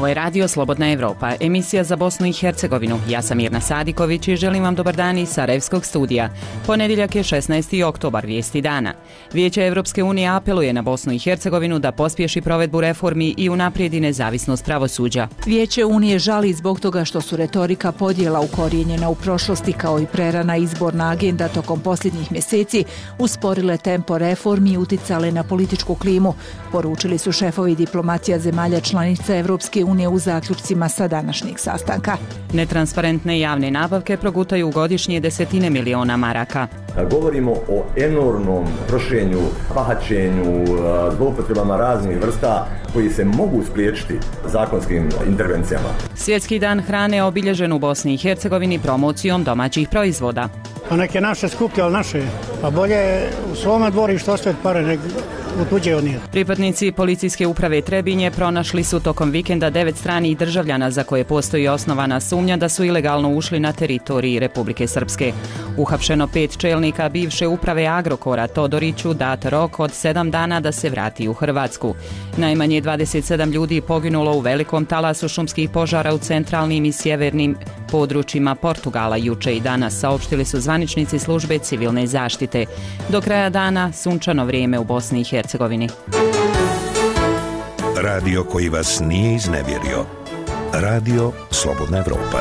Ovo je Radio Slobodna Evropa, emisija za Bosnu i Hercegovinu. Ja sam Mirna Sadiković i želim vam dobar dan iz Sarajevskog studija. Ponedjeljak je 16. oktobar, vijesti dana. Vijeće Evropske unije apeluje na Bosnu i Hercegovinu da pospješi provedbu reformi i unaprijedi nezavisnost pravosuđa. Vijeće Unije žali zbog toga što su retorika podjela ukorijenjena u prošlosti kao i prerana izborna agenda tokom posljednjih mjeseci usporile tempo reformi i uticale na političku klimu, poručili su šefovi diplomacija zemalja članica Evropske unije u zaključcima sa današnjeg sastanka. Netransparentne javne nabavke progutaju godišnje desetine miliona maraka. Govorimo o enormnom trošenju, pahaćenju, zloupotrebama raznih vrsta koji se mogu spriječiti zakonskim intervencijama. Svjetski dan hrane obilježen u Bosni i Hercegovini promocijom domaćih proizvoda. Pa neke naše skuplje, ali naše. Pa bolje u svome dvorištu ostaviti pare nego u tuđe od njih. Pripadnici policijske uprave Trebinje pronašli su tokom vikenda 9 stranih državljana za koje postoji osnovana sumnja da su ilegalno ušli na teritoriji Republike Srpske. Uhapšeno 5 čelnika bivše uprave Agrokora, Todoriću dat rok od 7 dana da se vrati u Hrvatsku. Najmanje 27 ljudi poginulo u velikom talasu šumskih požara u centralnim i sjevernim područjima Portugala juče i danas, saopštili su zvaničnici službe civilne zaštite. Do kraja dana sunčano vrijeme u Bosni i Hercegovini. Radio koji vas nije iznevjerio. Radio Slobodna Evropa.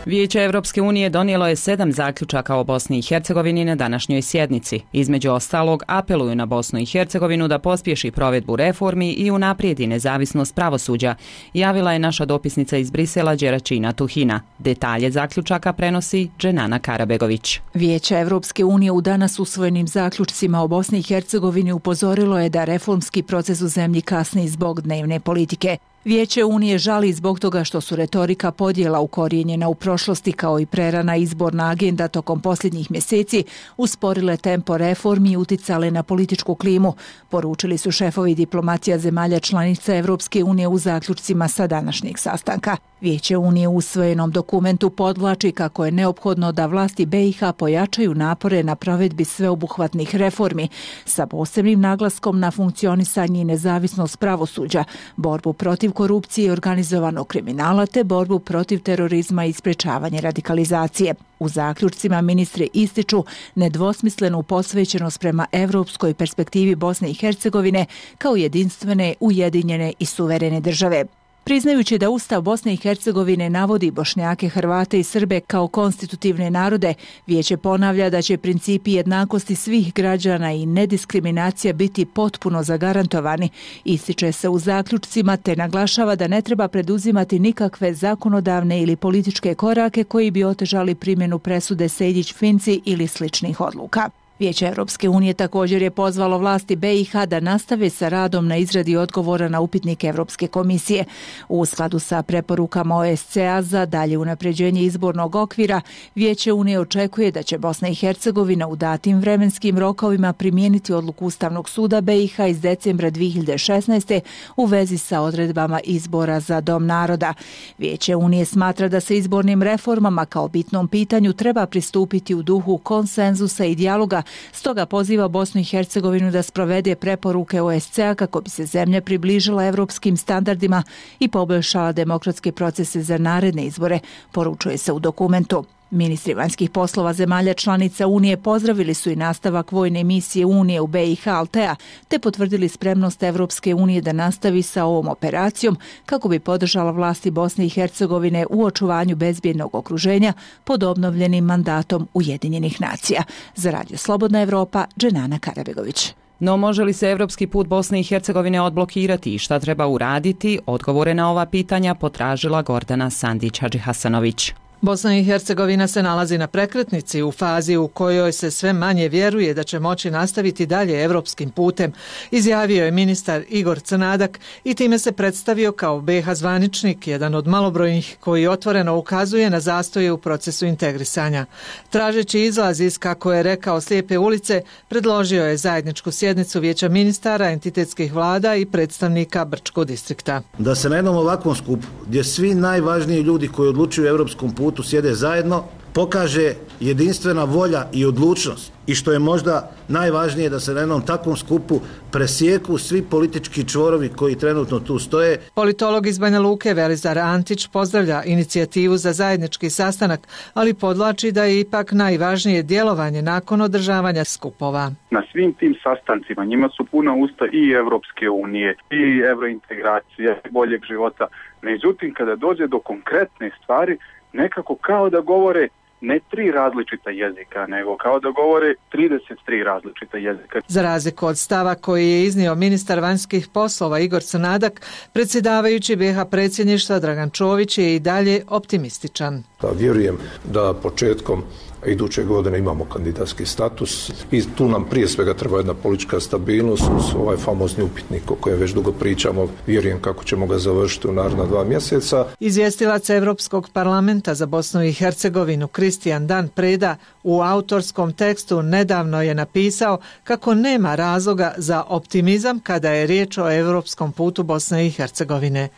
Vijeće Evropske unije donijelo je 7 zaključaka o Bosni i Hercegovini na današnjoj sjednici. Između ostalog, apeluju na Bosnu i Hercegovinu da pospješi provedbu reformi i unaprijedi nezavisnost pravosuđa, javila je naša dopisnica iz Brisela Đeračina Tuhina. Detalje zaključaka prenosi Dženana Karabegović. Vijeće Evropske unije u danas usvojenim zaključcima o Bosni i Hercegovini upozorilo je da reformski proces u zemlji kasni zbog dnevne politike. Vijeće Unije žali zbog toga što su retorika podjela ukorijenjena u prošlosti kao i prerana izborna agenda tokom posljednjih mjeseci usporile tempo reformi i uticale na političku klimu, poručili su šefovi diplomacija zemalja članica Evropske unije u zaključcima sa današnjeg sastanka. Vijeće Unije u usvojenom dokumentu podvlači kako je neophodno da vlasti BiH pojačaju napore na provedbi sveobuhvatnih reformi sa posebnim naglaskom na funkcionisanje i nezavisnost pravosuđa, borbu protiv korupcije i organizovanog kriminala te borbu protiv terorizma i sprečavanje radikalizacije. U zaključcima ministri ističu nedvosmislenu posvećenost prema evropskoj perspektivi Bosne i Hercegovine kao jedinstvene, ujedinjene i suverene države. Priznajući da Ustav Bosne i Hercegovine navodi Bošnjake, Hrvate i Srbe kao konstitutivne narode, Vijeće ponavlja da će principi jednakosti svih građana i nediskriminacija biti potpuno zagarantovani, ističe se u zaključcima te naglašava da ne treba preduzimati nikakve zakonodavne ili političke korake koji bi otežali primjenu presude Sejdić-Finci ili sličnih odluka. Vijeće Evropske unije također je pozvalo vlasti BiH da nastave sa radom na izradi odgovora na upitnik Evropske komisije. U skladu sa preporukama OSCE-a za dalje unapređenje izbornog okvira, Vijeće Unije očekuje da će Bosna i Hercegovina u datim vremenskim rokovima primijeniti odluku Ustavnog suda BiH iz decembra 2016. u vezi sa odredbama izbora za Dom naroda. Vijeće Unije smatra da se izbornim reformama kao bitnom pitanju treba pristupiti u duhu konsenzusa i dijaloga. Stoga poziva Bosnu i Hercegovinu da sprovede preporuke OSCE-a kako bi se zemlja približila evropskim standardima i poboljšala demokratske procese za naredne izbore, poručuje se u dokumentu. Ministri vanjskih poslova zemalja članica Unije pozdravili su i nastavak vojne misije Unije u BiH Altea, te potvrdili spremnost Evropske unije da nastavi sa ovom operacijom kako bi podržala vlasti Bosne i Hercegovine u očuvanju bezbjednog okruženja pod obnovljenim mandatom Ujedinjenih nacija. Za Radio Slobodna Evropa, Dženana Karabegović. No može li se evropski put Bosne i Hercegovine odblokirati i šta treba uraditi? Odgovore na ova pitanja potražila Gordana Sandić-Hadžihasanović. Bosna i Hercegovina se nalazi na prekretnici u fazi u kojoj se sve manje vjeruje da će moći nastaviti dalje evropskim putem, izjavio je ministar Igor Crnadak i time se predstavio kao BiH zvaničnik, jedan od malobrojnih koji otvoreno ukazuje na zastoje u procesu integrisanja. Tražeći izlaz iz, kako je rekao, slijepe ulice, predložio je zajedničku sjednicu Vijeća ministara, entitetskih vlada i predstavnika Brčkog distrikta. Da se na jednom ovakvom skupu, gdje svi najvažniji ljudi koji odlučuju o evropskom putu sjede zajedno, pokaže jedinstvena volja i odlučnost i što je možda najvažnije da se na jednom takvom skupu presjeku svi politički čvorovi koji trenutno tu stoje. Politolog iz Banja Luke Velizar Antić pozdravlja inicijativu za zajednički sastanak, ali podvlači da je ipak najvažnije djelovanje nakon održavanja skupova. Na svim tim sastancima njima su puna usta i Evropske unije, i evrointegracije, boljeg života. Međutim, kada dođe do konkretne stvari, nekako kao da govore ne 3 različita jezika, nego kao da govore 33 različita jezika. Za razliku od stava koji je iznio ministar vanjskih poslova Igor Crnadak, predsjedavajući BiH predsjedništva Dragan Čović je i dalje optimističan. Vjerujem da početkom iduće godine imamo kandidatski status i tu nam prije svega treba jedna politička stabilnost uz ovaj famozni upitnik o kojem već dugo pričamo. Vjerujem kako ćemo ga završiti u naredna 2 mjeseca. Izvjestilac Europskog parlamenta za Bosnu i Hercegovinu Kristijan Dan Preda u autorskom tekstu nedavno je napisao kako nema razloga za optimizam kada je riječ o europskom putu Bosne i Hercegovine.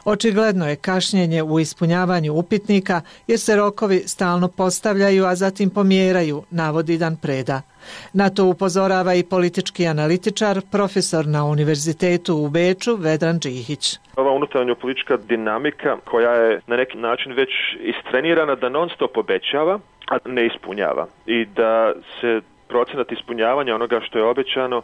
Očigledno je kašnjenje u ispunjavanju upitnika jer se rokovi stalno postavljaju, a zatim pomjeraju, navodi Dan Preda. Na to upozorava i politički analitičar, profesor na Univerzitetu u Beču Vedran Džihić. Ova unutarnja politička dinamika koja je na neki način već istrenirana da non stop obećava, a ne ispunjava. I da se procenat ispunjavanja onoga što je obećano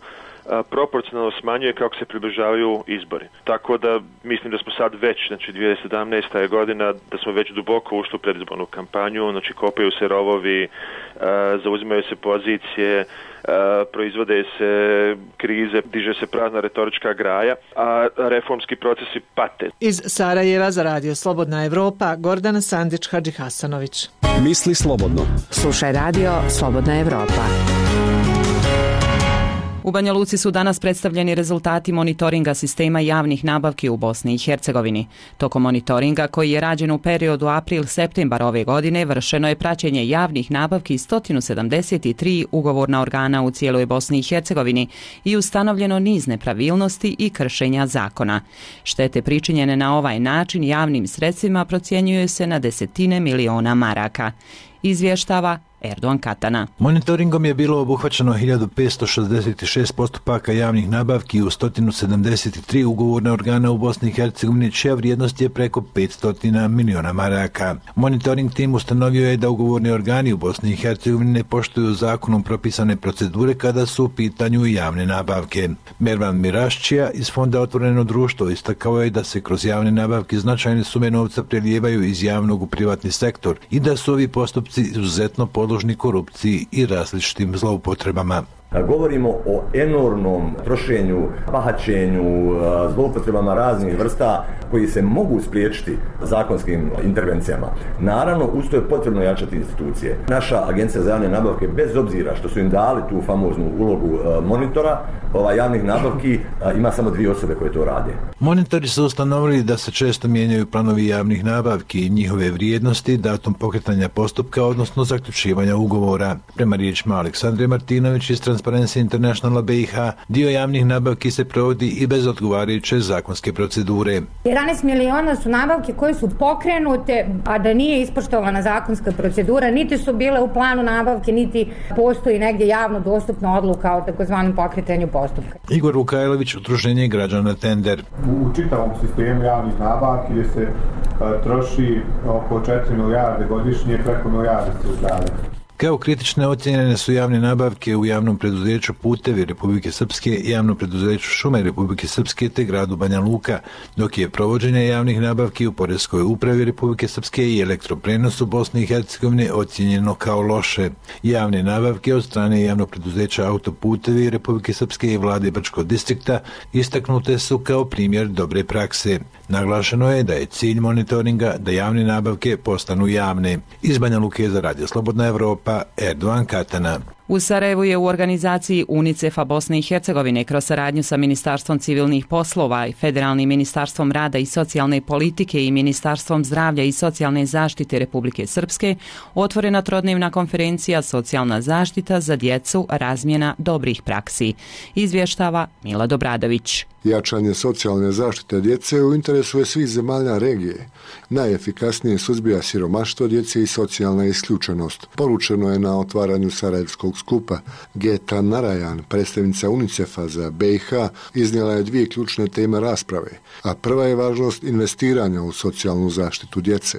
proporcionalno smanjuje kako se približavaju izbori. Tako da mislim da smo sad već, znači 2017. je godina, da smo već duboko ušli u predizbornu kampanju, znači kopaju se rovovi, zauzimaju se pozicije, proizvode se krize, diže se prazna retorička graja, a reformski procesi pate. Iz Sarajeva za Radio Slobodna Evropa, Gordana Sandić Hadžihasanović. Misli slobodno. Slušaj Radio Slobodna Evropa. U Banja Luci su danas predstavljeni rezultati monitoringa sistema javnih nabavki u Bosni i Hercegovini. Tokom monitoringa, koji je rađen u periodu april-septembar ove godine, vršeno je praćenje javnih nabavki 173 ugovorna organa u cijeloj Bosni i Hercegovini i ustanovljeno niz nepravilnosti i kršenja zakona. Štete pričinjene na ovaj način javnim sredstvima procjenjuju se na desetine miliona maraka. Izvještava Erdogan Katana. Monitoringom je bilo obuhvaćeno 1566 postupaka javnih nabavki u 173 ugovorna organa u Bosni i Hercegovini, čija vrijednost je preko 500 miliona maraka. Monitoring tim ustanovio je da ugovorni organi u Bosni i Hercegovini ne poštuju zakonom propisane procedure kada su u pitanju javne nabavke. Mervan Mirašćija iz Fonda Otvoreno društvo istakao je da se kroz javne nabavke značajne sume novca prelijevaju iz javnog u privatni sektor i da su ovi postupci izuzetno podložni korupciji i različitim zloupotrebama. Govorimo o enormnom trošenju, bahaćenju, zloupotrebama raznih vrsta koji se mogu spriječiti zakonskim intervencijama. Naravno, uz to je potrebno jačati institucije. Naša agencija za javne nabavke, bez obzira što su im dali tu famoznu ulogu monitora javnih nabavki, ima samo 2 osobe koje to rade. Monitori su ustanovili da se često mijenjaju planovi javnih nabavki i njihove vrijednosti, datum pokretanja postupka, odnosno zaključivanja ugovora. Prema riječima Aleksandre Martinović iz Transparency Internationala BiH, dio javnih nabavki se provodi i bez odgovarajuće zakonske procedure. 11 miliona su nabavke koje su pokrenute, a da nije ispoštovana zakonska procedura, niti su bile u planu nabavke, niti postoji negdje javno dostupna odluka o takozvanom pokretanju postupka. Igor Vukajlović, Udruženje građana Tender. U čitavom sistemu javnih nabavki gdje se troši oko 4 milijarde godišnje, preko milijarde se uzdaje. Kao kritične ocjenjene su javne nabavke u javnom preduzeću Putevi Republike Srpske, javnom preduzeću Šume Republike Srpske te gradu Banja Luka, dok je provođenje javnih nabavki u Poreskoj upravi Republike Srpske i elektroprenosu Bosne i Hercegovine ocjenjeno kao loše. Javne nabavke od strane javnog preduzeća Autoputevi Republike Srpske i vlade Brčkog distrikta istaknute su kao primjer dobre prakse. Naglašeno je da je cilj monitoringa da javne nabavke postanu javne. Iz Banja Luke za Radio Slobodna Evropa, Erdogan Katana. U Sarajevu je u organizaciji UNICEF-a Bosne i Hercegovine kroz saradnju sa Ministarstvom civilnih poslova i Federalnim ministarstvom rada i socijalne politike i Ministarstvom zdravlja i socijalne zaštite Republike Srpske otvorena trodnevna konferencija Socijalna zaštita za djecu, razmjena dobrih praksi. Izvještava Mila Dobradović. Jačanje socijalne zaštite djece u interesu je svih zemalja regije. Najefikasnije suzbija siromaštvo djece i socijalna isključenost. Poručeno je na otvaranju Sarajevskog skupa. Geta Narayan, predstavnica UNICEF-a za BiH, iznijela je 2 ključne teme rasprave, a prva je važnost investiranja u socijalnu zaštitu djece.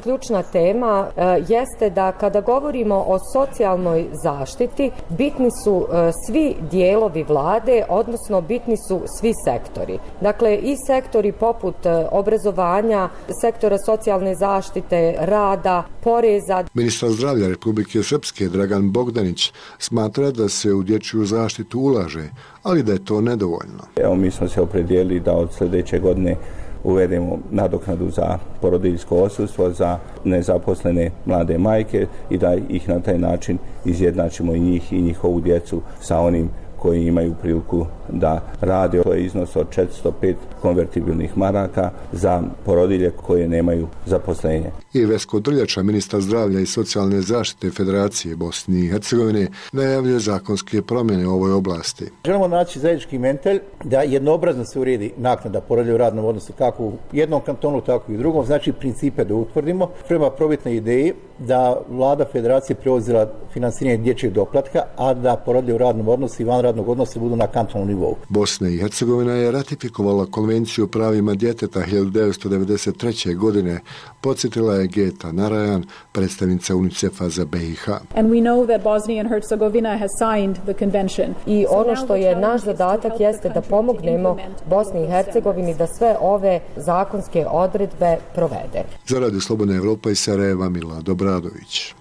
Ključna tema jeste da kada govorimo o socijalnoj zaštiti, bitni su svi dijelovi vlade, odnosno bitni su svi sektori. Dakle, i sektori poput obrazovanja, sektora socijalne zaštite, rada, poreza. Ministar zdravlja Republike Srpske Dragan Bogdanić smatra da se u dječju zaštitu ulaže, ali da je to nedovoljno. Evo, mi smo se opredijelili da od sljedeće godine uvedemo nadoknadu za porodiljsko odsustvo za nezaposlene mlade majke i da ih na taj način izjednačimo i njih i njihovu djecu sa onim koji imaju priliku da rade. To je iznos od 405 konvertibilnih maraka za porodilje koje nemaju zaposlenje. I Vesko Drljača, ministar zdravlja i socijalne zaštite Federacije Bosne i Hercegovine, najavljuje zakonske promjene u ovoj oblasti. Želimo naći zajednički mentalj da jednoobrazno se uredi naknada porodilja u radnom odnosu kako u jednom kantonu, tako i u drugom. Znači principe da utvrdimo. Prema probitnoj ideji da vlada Federacije preuzela finansiranje dječjeg doplatka, a da porodilje u radnom odnosu i van radnog odnosa budu na kantonalnom nivou. Bosna i Hercegovina je ratifikovala Konvenciju o pravima djeteta 1993. godine, podsjetila je Geta Narayan, predstavnica UNICEF-a za BiH. I ono što je naš zadatak jeste da pomognemo Bosni i Hercegovini da sve ove zakonske odredbe provede. Za Radio Slobodna Evropa iz Sarajeva, Milad Obradović.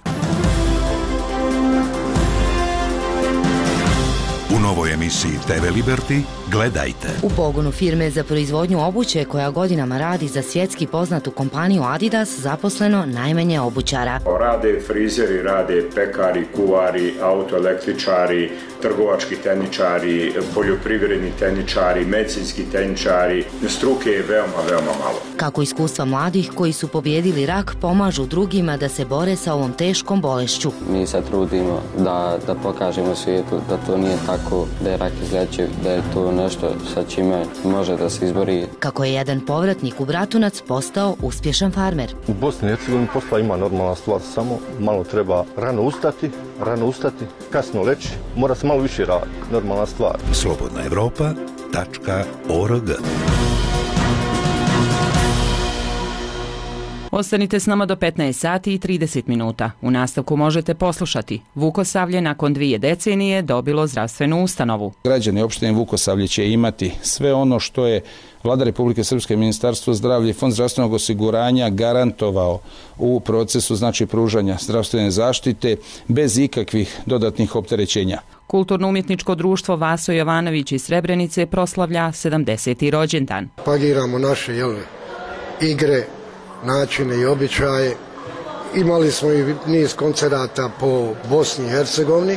U novoj emisiji TV Liberty gledajte. U pogonu firme za proizvodnju obuće koja godinama radi za svjetski poznatu kompaniju Adidas zaposleno najmanje obućara. Rade frizeri, rade pekari, kuvari, autoelektričari, trgovački tehničari, poljoprivredni tehničari, medicinski tehničari. Struke je veoma malo. Kako iskustva mladih koji su pobijedili rak pomažu drugima da se bore sa ovom teškom bolešću. Mi se trudimo da pokažemo svijetu da to nije tako, da je rak izlečiv, da je to nešto sa čime može da se izbori. Kako je jedan povratnik u Bratunac postao uspješan farmer. U Bosni i Hercegovini posla ima normalna stvar, samo malo treba rano ustati, kasno leći, mora se malo više raditi, normalna stvar. slobodnaevropa.org. Ostanite s nama do 15 sati i 30 minuta. U nastavku možete poslušati. Vukosavlje nakon 2 decenije dobilo zdravstvenu ustanovu. Građani opštine Vukosavlje će imati sve ono što je Vlada Republike Srpske, Ministarstvo zdravlja i Fond zdravstvenog osiguranja garantovao u procesu pružanja zdravstvene zaštite bez ikakvih dodatnih opterećenja. Kulturno-umjetničko društvo Vaso Jovanović iz Srebrenice proslavlja 70. rođendan. Pagiramo naše igre, načine i običaje. Imali smo i niz koncerata po Bosni i Hercegovini.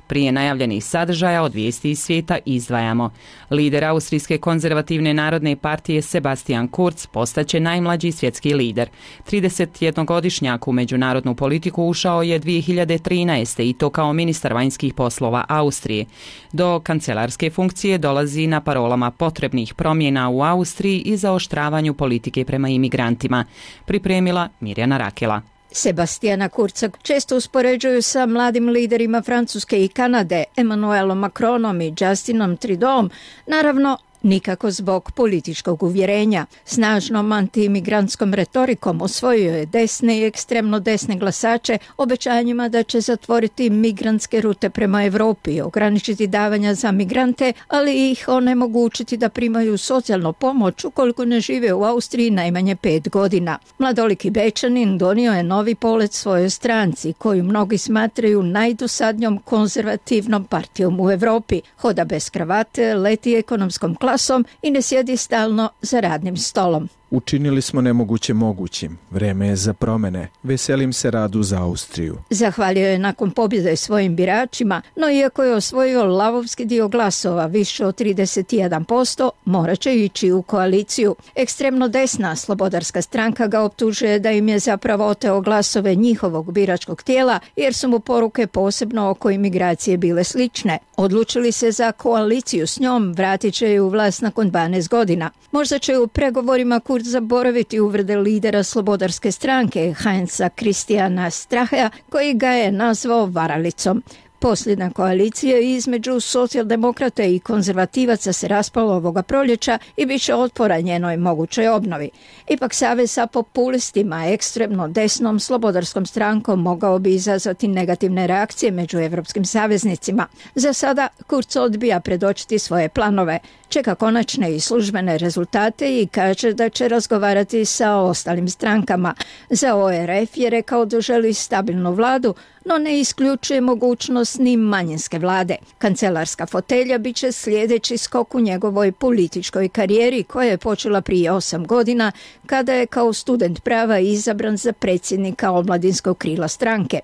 Prije najavljenih sadržaja od vijesti iz svijeta izdvajamo. Lider Austrijske konzervativne narodne partije Sebastian Kurz postaće najmlađi svjetski lider. 31-godišnjak u međunarodnu politiku ušao je 2013. i to kao ministar vanjskih poslova Austrije. Do kancelarske funkcije dolazi na parolama potrebnih promjena u Austriji i zaoštravanju politike prema imigrantima. Pripremila Mirjana Rakela. Sebastiana Kurza često uspoređuju sa mladim liderima Francuske i Kanade, Emmanuelom Macronom i Justinom Trudeauom, naravno nikako zbog političkog uvjerenja. Snažnom antiimigrantskom retorikom osvojio je desne i ekstremno desne glasače obećanjima da će zatvoriti migrantske rute prema Europi, ograničiti davanja za migrante, ali ih onemogućiti da primaju socijalnu pomoć ukoliko ne žive u Austriji najmanje 5 godina. Mladoliki Bečanin donio je novi polet svojoj stranci, koju mnogi smatraju najdosadnjom konzervativnom partijom u Europi. Hoda bez kravate, leti ekonomskom klasom i ne sjedi stalno za radnim stolom. Učinili smo nemoguće mogućim. Vreme je za promene. Veselim se radu za Austriju. Zahvalio je nakon pobjede svojim biračima, no iako je osvojio lavovski dio glasova, više od 31%, morat će ići u koaliciju. Ekstremno desna slobodarska stranka ga optužuje da im je zapravo oteo glasove njihovog biračkog tijela, jer su mu poruke posebno oko imigracije bile slične. Odlučili se za koaliciju s njom, vratit će ju u vlast nakon 12 godina. Možda će u pregovorima Kurz zaboraviti uvrede lidera slobodarske stranke Heinza Christiana Strachea, koji ga je nazvao varalicom. Posljedna koalicija između socijaldemokrata i konzervativaca se raspala ovoga proljeća i bit će otpora njenoj mogućoj obnovi. Ipak savez sa populistima, ekstremno desnom slobodarskom strankom mogao bi izazvati negativne reakcije među evropskim saveznicima. Za sada Kurz odbija predočiti svoje planove, čeka konačne i službene rezultate i kaže da će razgovarati sa ostalim strankama. Za ORF je rekao da želi stabilnu vladu, no ne isključuje mogućnost ni manjinske vlade. Kancelarska fotelja bit će sljedeći skok u njegovoj političkoj karijeri koja je počela prije 8 godina kada je kao student prava izabran za predsjednika omladinskog krila stranke.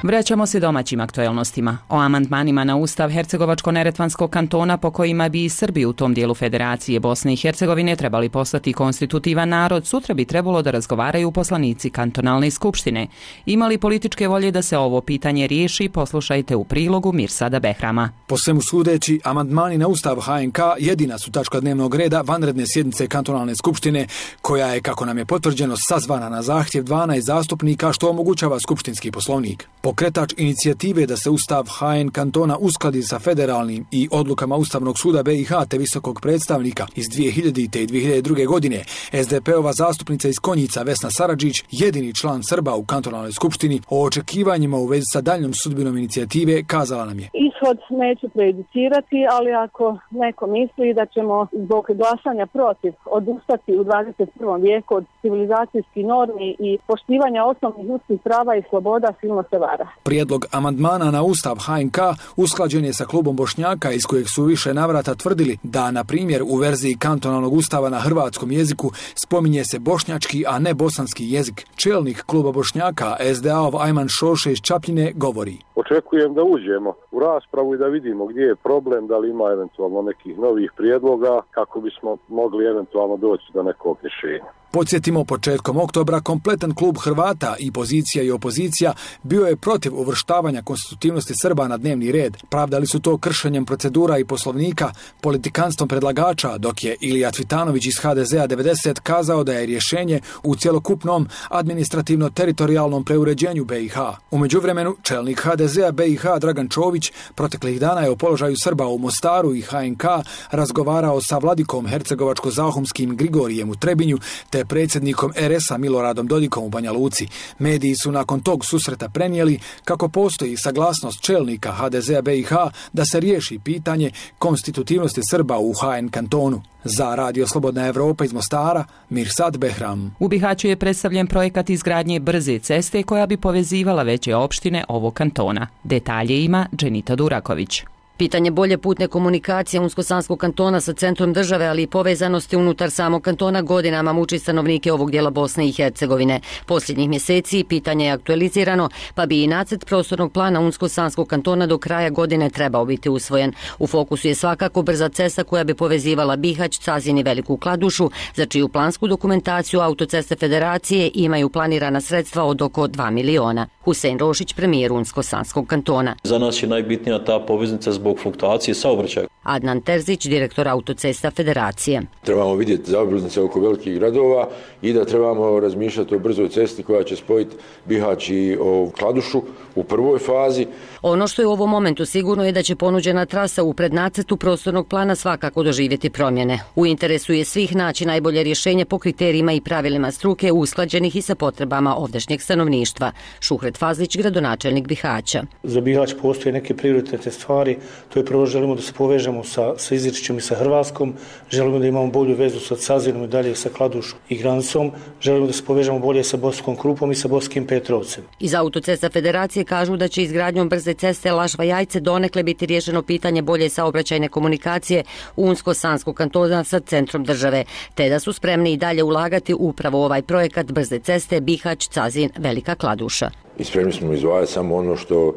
Vraćamo se domaćim aktuelnostima. O amandmanima na Ustav Hercegovačko-neretvanskog kantona po kojima bi i Srbi u tom dijelu Federacije Bosne i Hercegovine trebali postati konstitutivan narod, sutra bi trebalo da razgovaraju poslanici kantonalne skupštine. Ima li političke volje da se ovo pitanje riješi? Poslušajte u prilogu Mirsada Behrama. Po svemu sudeći, amandmani na Ustav HNK jedina su tačka dnevnog reda vanredne sjednice kantonalne skupštine, koja je, kako nam je potvrđeno, sazvana na zahtjev 12 zastupnika, što omogućava skupštinski poslovnik. Pokretač inicijative da se Ustav HN kantona uskladi sa federalnim i odlukama Ustavnog suda BiH te visokog predstavnika iz 2000. i 2002. godine, SDP-ova zastupnica iz Konjica Vesna Saradžić, jedini član Srba u kantonalnoj skupštini, o očekivanjima u vezi sa daljnjom sudbinom inicijative kazala nam je: Ishod neću prejudicirati, ali ako neko misli da ćemo zbog glasanja protiv odustati u 21. vijeku od civilizacijskih normi i poštivanja osnovnih ljudskih prava i sloboda, silno se vara. Prijedlog amandmana na Ustav HNK usklađen je sa klubom Bošnjaka, iz kojeg su više navrata tvrdili da, na primjer, u verziji kantonalnog ustava na hrvatskom jeziku spominje se bošnjački, a ne bosanski jezik. Čelnik kluba Bošnjaka, SDA-ov Ajman Šoše iz Čapljine, govori: Očekujem da uđemo u raspravu i da vidimo gdje je problem, da li ima eventualno nekih novih prijedloga kako bismo mogli eventualno doći do nekog rješenja. Podsjetimo, početkom oktobra kompletan klub Hrvata, i pozicija i opozicija, bio je protiv uvrštavanja konstitutivnosti Srba na dnevni red. Pravdali su to kršenjem procedura i poslovnika, politikanstvom predlagača, dok je Ilija Cvitanović iz HDZ-a 90 kazao da je rješenje u cjelokupnom administrativno-teritorijalnom preuređenju BiH. U međuvremenu, čelnik HDZ-a BiH Dragan Čović proteklih dana je o položaju Srba u Mostaru i HNK razgovarao sa vladikom hercegovačko-zahumskim Grigorijem u Trebinju te predsjednikom RS-a Miloradom Dodikom u Banja Luci. Mediji su nakon tog susreta prenijeli kako postoji saglasnost čelnika HDZ-a BiH da se riješi pitanje konstitutivnosti Srba u HN kantonu. Za Radio Slobodna Evropa iz Mostara, Mirsad Behram. U Bihaću je predstavljen projekat izgradnje brze ceste koja bi povezivala veće opštine ovog kantona. Detalje ima Dženita Duraković. Pitanje bolje putne komunikacije Unsko-Sanskog kantona sa centrom države, ali i povezanosti unutar samog kantona godinama muči stanovnike ovog dijela Bosne i Hercegovine. Posljednjih mjeseci pitanje je aktualizirano, pa bi i nacrt prostornog plana Unsko-Sanskog kantona do kraja godine trebao biti usvojen. U fokusu je svakako brza cesta koja bi povezivala Bihać, Cazin i Veliku Kladušu, za čiju plansku dokumentaciju Autoceste Federacije imaju planirana sredstva od oko 2 miliona. Husein Rošić, premijer Unsko-Sanskog kantona. Za nas je najbitnija ta poveznica zbog fluktuacije saobraćaja. Adnan Terzić, direktor Autocesta Federacije. Trebamo vidjeti zaobilaznice oko velikih gradova i da trebamo razmišljati o brzoj cesti koja će spojiti Bihać i Kladušu u prvoj fazi. Ono što je u ovom momentu sigurno je da će ponuđena trasa u prednacrtu prostornog plana svakako doživjeti promjene. U interesu je svih naći najbolje rješenje po kriterijima i pravilima struke usklađenih i sa potrebama ovdašnjeg stanovništva. Šuhret Fazlić, gradonačelnik Bihaća. Za Bihać postoje neke prioritetne stvari To je prvo, želimo da se povežemo sa Izričem i sa Hrvatskom, želimo da imamo bolju vezu sa Cazinom i dalje sa Kladušom i Grancom, želimo da se povežemo bolje sa Bosanskom Krupom i sa Bosanskim Petrovcem. Iz Autocesta Federacije kažu da će izgradnjom brze ceste Lažva-Jajce donekle biti riješeno pitanje bolje saobraćajne komunikacije Unsko-Sanskog kantona sa centrom države, te da su spremni i dalje ulagati upravo ovaj projekat brze ceste Bihać-Cazin-Velika Kladuša. I spremni smo izdvajati samo ono što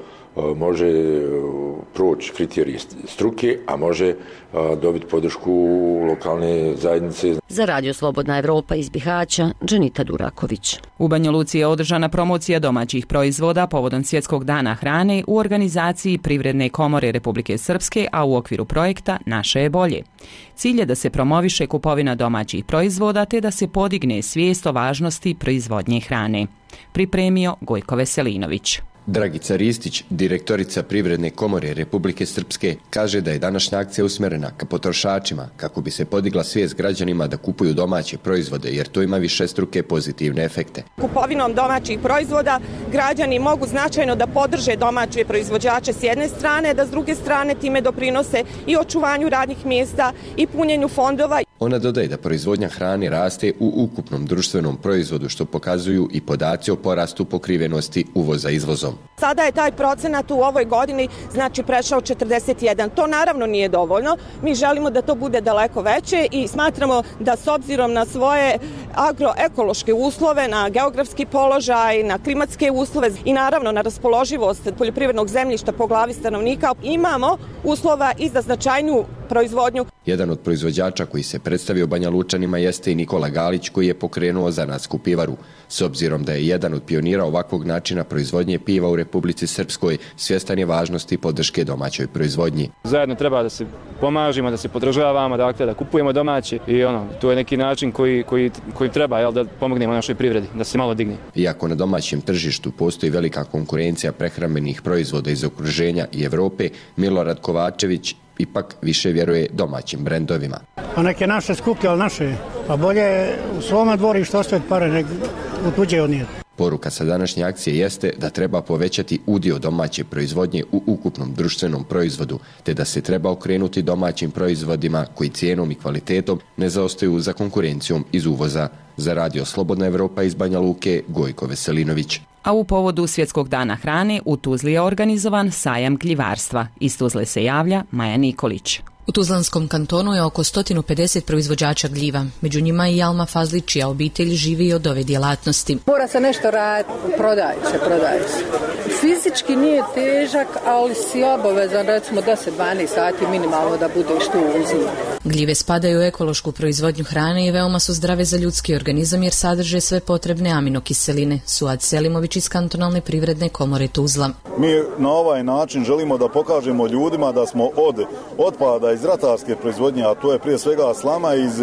može proći kriterije struke, a može dobiti podršku lokalne zajednice. Za Radio Slobodna Evropa iz Bihaća, Dženita Duraković. U Banja Luci je održana promocija domaćih proizvoda povodom Svjetskog dana hrane u organizaciji Privredne komore Republike Srpske, a u okviru projekta Naše je bolje. Cilj je da se promoviše kupovina domaćih proizvoda te da se podigne svijest o važnosti proizvodnje hrane. Pripremio Gojko Veselinović. Dragica Ristić, direktorica Privredne komore Republike Srpske, kaže da je današnja akcija usmjerena ka potrošačima kako bi se podigla svijest građanima da kupuju domaće proizvode, jer to ima višestruke pozitivne efekte. Kupovinom domaćih proizvoda građani mogu značajno da podrže domaće proizvođače s jedne strane, da s druge strane time doprinose i očuvanju radnih mjesta i punjenju fondova. Ona dodaje da proizvodnja hrane raste u ukupnom društvenom proizvodu, što pokazuju i podaci o porastu pokrivenosti uvoza izvozom. Sada je taj procenat u ovoj godini prešao 41. To naravno nije dovoljno. Mi želimo da to bude daleko veće i smatramo da s obzirom na svoje agroekološke uslove, na geografski položaj, na klimatske uslove i naravno na raspoloživost poljoprivrednog zemljišta po glavi stanovnika imamo uslova i za značajniju proizvodnju. Jedan od proizvođača koji se predstavio Banja Lučanima jeste i Nikola Galić, koji je pokrenuo zanatsku pivaru. S obzirom da je jedan od pionira ovakvog načina proizvodnje piva u Republici Srpskoj, svjestan je važnosti podrške domaćoj proizvodnji. Zajedno treba da se pomažimo, da se podržavamo, dakle da kupujemo domaće i to je neki način koji treba da pomognemo našoj privredi, da se malo digne. Iako na domaćem tržištu postoji velika konkurencija prehrambenih proizvoda iz okruženja i Evrope, Milorad Kovačević ipak više vjeruje domaćim brendovima. A neke naše skuplje, ali naše, pa bolje u svome dvorištu ostaviti pare nego u tuđe odnijeti. Poruka sa današnje akcije jeste da treba povećati udio domaće proizvodnje u ukupnom društvenom proizvodu, te da se treba okrenuti domaćim proizvodima koji cijenom i kvalitetom ne zaostaju za konkurencijom iz uvoza. Za Radio Slobodna Evropa iz Banja Luke, Gojko Veselinović. A u povodu Svjetskog dana hrane u Tuzli je organizovan sajam gljivarstva. Iz Tuzle se javlja Maja Nikolić. U Tuzlanskom kantonu je oko 150 proizvođača gljiva. Među njima i Alma Fazlić, čija obitelj živi od ove djelatnosti. Mora se nešto raditi, prodaje se. Fizički nije težak, ali si obavezan recimo 10-12 sati minimalno da budeš tu uzim. Gljive spadaju u ekološku proizvodnju hrane i veoma su zdrave za ljudski organizam jer sadrže sve potrebne aminokiseline. Suad Selimović iz Kantonalne privredne komore Tuzla. Mi na ovaj način želimo da pokažemo ljudima da smo od otpada iz ratarske proizvodnje, a to je prije svega slama, iz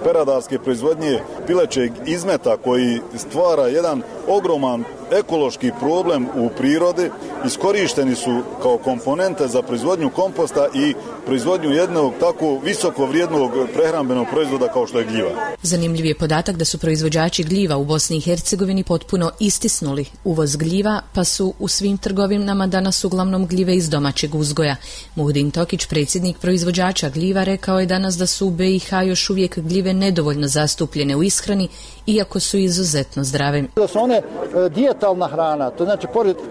peradarske proizvodnje pilećeg izmeta koji stvara jedan ogroman ekološki problem u prirodi, iskorišteni su kao komponente za proizvodnju komposta i proizvodnju jednog tako visoko vrijednog prehrambenog proizvoda kao što je gljiva. Zanimljiv je podatak da su proizvođači gljiva u Bosni i Hercegovini potpuno istisnuli uvoz gljiva, pa su u svim trgovinama danas uglavnom gljive iz domaćeg uzgoja. Muhdin Tokić, predsjednik proizvođača gljiva, rekao je danas da su u BiH još uvijek gljive nedovoljno zastupljene u ishrani, iako su izuzetno zdrave. Da su one dijetalna hrana, to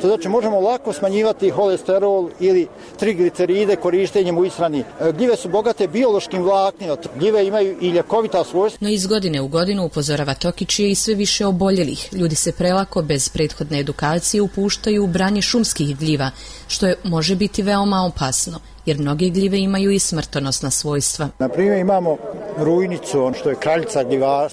znači možemo lako smanjivati holesterol ili trigliceride korištenjem u ishrani. Gljive su bogate biološkim vlaknima, gljive imaju i ljekovita svojstva. No iz godine u godinu, upozorava Tokić, je i sve više oboljelih. Ljudi se prelako, bez prethodne edukacije, upuštaju u branje šumskih gljiva, što može biti veoma opasno, jer mnoge gljive imaju i smrtonosna svojstva. Na primjer imamo rujnicu, što je kraljica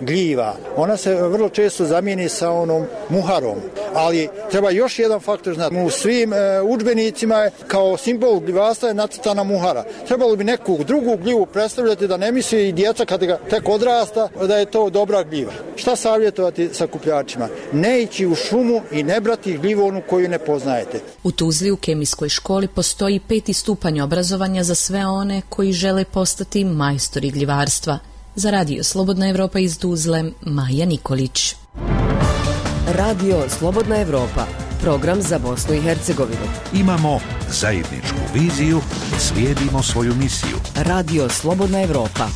gljiva. Ona se vrlo često zamijeni sa onom muharom, ali treba još jedan faktor znati. U svim udžbenicima je kao simbol gljivarstva je nacrtana muhara. Trebalo bi neku drugu gljivu predstavljati, da ne misli i djeca kad ga tek odrasta da je to dobra gljiva. Šta savjetovati sakupljačima? Ne ići u šumu i ne brati gljivu onu koju ne poznajete. U Tuzli u kemijskoj školi postoji 5. stupanj obrazovanja za sve one koji žele postati majstori gljivarstva. Za Radio Slobodna Evropa iz Tuzle, Maja Nikolić. Radio Slobodna Evropa, program za Bosnu i Hercegovinu. Imamo zajedničku viziju, slijedimo svoju misiju. Radio Slobodna Evropa.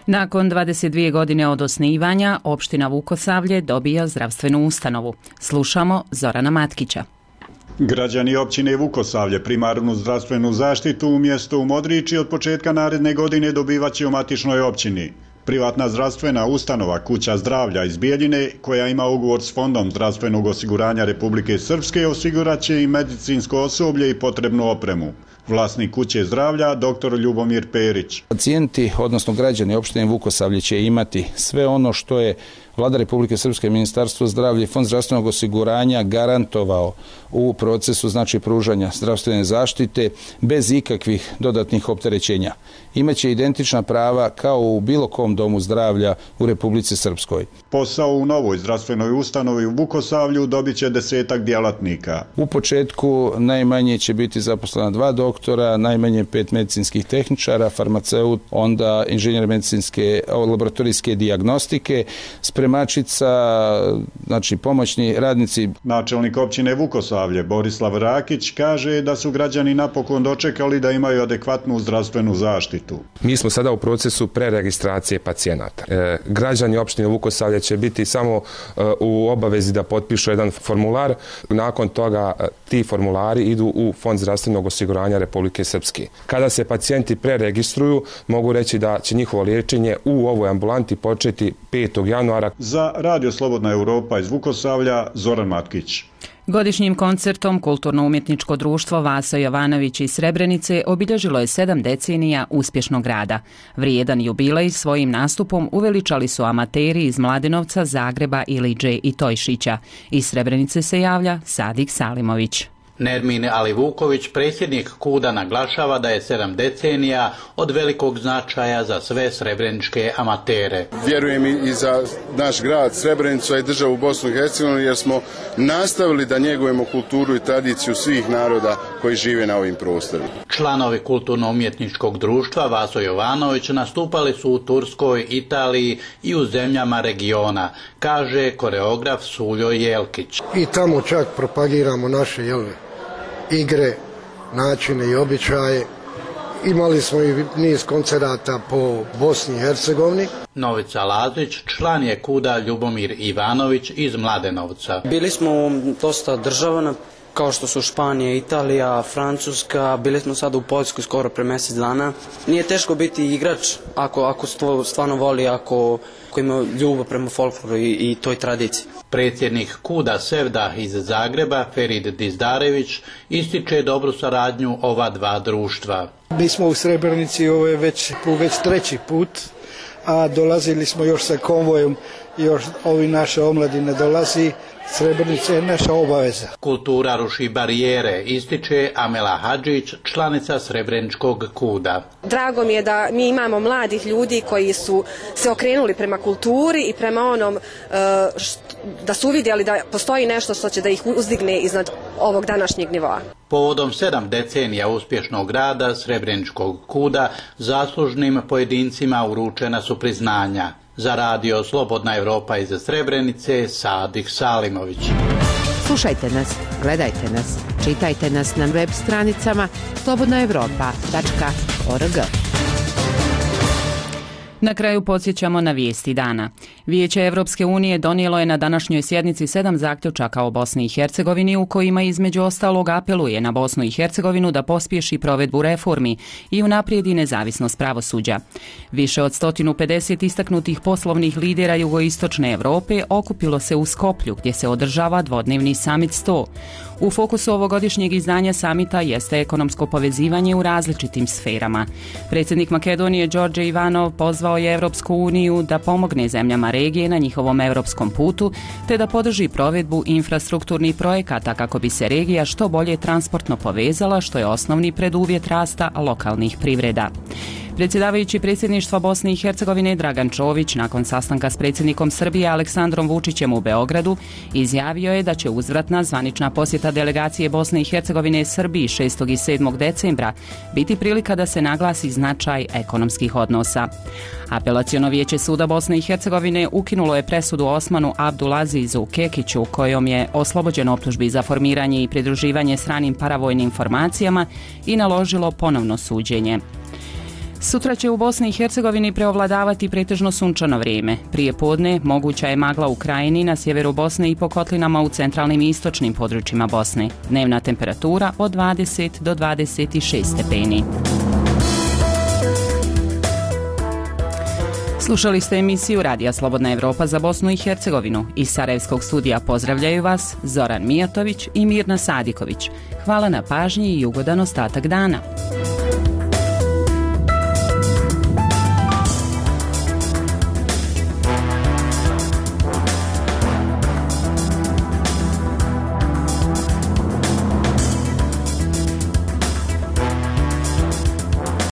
Nakon 22 godine od osnivanja, opština Vukosavlje dobija zdravstvenu ustanovu. Slušamo Zorana Matkića. Građani općine Vukosavlje primarnu zdravstvenu zaštitu u mjestu Modriči od početka naredne godine dobivaće u matičnoj općini. Privatna zdravstvena ustanova Kuća zdravlja iz Bijeljine, koja ima ugovor s Fondom zdravstvenog osiguranja Republike Srpske, osigurat će i medicinsko osoblje i potrebnu opremu. Vlasnik Kuće zdravlja, dr. Ljubomir Perić. Pacijenti, odnosno građani opštine Vukosavlje će imati sve ono što je Vlada Republike Srpske, Ministarstvo zdravlja i Fond zdravstvenog osiguranja garantovao u procesu pružanja zdravstvene zaštite bez ikakvih dodatnih opterećenja. Imaće identična prava kao u bilo kom domu zdravlja u Republici Srpskoj. Posao u novoj zdravstvenoj ustanovi u Vukosavlju dobit će 10 djelatnika. U početku najmanje će biti zaposlena 2 doktora, najmanje 5 medicinskih tehničara, farmaceut, onda inženjer medicinske laboratorijske dijagnostike, spremačica, pomoćni radnici. Načelnik općine Vukosavlje Borislav Rakić kaže da su građani napokon dočekali da imaju adekvatnu zdravstvenu zaštitu. Mi smo sada u procesu preregistracije pacijenata. Građani opštine Vukosavlje će biti samo u obavezi da potpišu jedan formular. Nakon toga ti formulari idu u Fond zdravstvenog osiguranja Republike Srpske. Kada se pacijenti preregistruju, mogu reći da će njihovo liječenje u ovoj ambulanti početi 5. januara. Za Radio Slobodna Evropa iz Vukosavlja, Zoran Matkić. Godišnjim koncertom Kulturno-umjetničko društvo Vaso Jovanović iz Srebrenice obilježilo je 7 decenija uspješnog rada. Vrijedan jubilej svojim nastupom uveličali su amateri iz Mladenovca, Zagreba, Iliđe i Tojšića. Iz Srebrenice se javlja Sadik Salimović. Nermin Alivuković, predsjednik KUD-a, naglašava da je 7 decenija od velikog značaja za sve srebreničke amatere. Vjerujem i za naš grad Srebrenicu i državu Bosnu i Hercegovinu, jer smo nastavili da njegujemo kulturu i tradiciju svih naroda koji žive na ovim prostorima. Članovi Kulturno-umjetničkog društva Vaso Jovanović nastupali su u Turskoj, Italiji i u zemljama regiona, kaže koreograf Suljo Jelkić. I tamo čak propagiramo naše igre, načine i običaje. Imali smo i niz koncerata po Bosni i Hercegovini. Novica Lazić, član je KUD-a Ljubomir Ivanović iz Mladenovca. Bili smo dosta država, kao što su Španija, Italija, Francuska, bili smo sad u Poljskoj skoro pre mjesec dana. Nije teško biti igrač ako stvarno voli, ako ima ljubav prema folkloru i toj tradiciji. Predsjednik KUD-a Sevda iz Zagreba, Ferid Dizdarević, ističe dobru saradnju ova dva društva. Mi smo u Srebrenici, ovo je već 3. put, a dolazili smo još sa konvojem, još ovi naše omladine dolazi. Srebrenica je naša obaveza. Kultura ruši barijere, ističe Amela Hadžić, članica Srebreničkog KUD-a. Drago mi je da mi imamo mladih ljudi koji su se okrenuli prema kulturi i prema onom da su uvidjeli da postoji nešto što će da ih uzdigne iznad ovog današnjeg nivoa. Povodom 7 decenija uspješnog rada Srebreničkog KUD-a zaslužnim pojedincima uručena su priznanja. Za Radio Slobodna Evropa iz Srebrenice, Sadik Salimović. Slušajte nas, gledajte nas, čitajte nas na web stranicama slobodnaevropa.org. Na kraju podsjećamo na vijesti dana. Vijeće Evropske unije donijelo je na današnjoj sjednici 7 zaključaka o Bosni i Hercegovini u kojima između ostalog apeluje na Bosnu i Hercegovinu da pospješi provedbu reformi i unaprijedi nezavisnost pravosuđa. Više od 150 istaknutih poslovnih lidera jugoistočne Europe okupilo se u Skoplju gdje se održava dvodnevni Summit 100. U fokusu ovogodišnjeg izdanja samita jeste ekonomsko povezivanje u različitim sferama. Predsjednik Makedonije Đorđe Ivanov pozvao je Evropsku uniju da pomogne zemljama regije na njihovom europskom putu te da podrži provedbu infrastrukturnih projekata kako bi se regija što bolje transportno povezala, što je osnovni preduvjet rasta lokalnih privreda. Predsjedavajući predsjedništva Bosne i Hercegovine Dragan Čović nakon sastanka s predsjednikom Srbije Aleksandrom Vučićem u Beogradu izjavio je da će uzvratna zvanična posjeta delegacije Bosne i Hercegovine Srbiji 6. i 7. decembra biti prilika da se naglasi značaj ekonomskih odnosa. Apelaciono vijeće suda Bosne i Hercegovine ukinulo je presudu Osmanu Abdulazizu Kekiću kojom je oslobođen optužbi za formiranje i pridruživanje stranim paravojnim formacijama i naložilo ponovno suđenje. Sutra će u Bosni i Hercegovini preovladavati pretežno sunčano vrijeme. Prije podne moguća je magla u Krajini, na sjeveru Bosne i po kotlinama u centralnim i istočnim područjima Bosne. Dnevna temperatura od 20 do 26 stepeni. Slušali ste emisiju Radija Slobodna Evropa za Bosnu i Hercegovinu. Iz Sarajevskog studija pozdravljaju vas Zoran Mijatović i Mirna Sadiković. Hvala na pažnji i ugodan ostatak dana.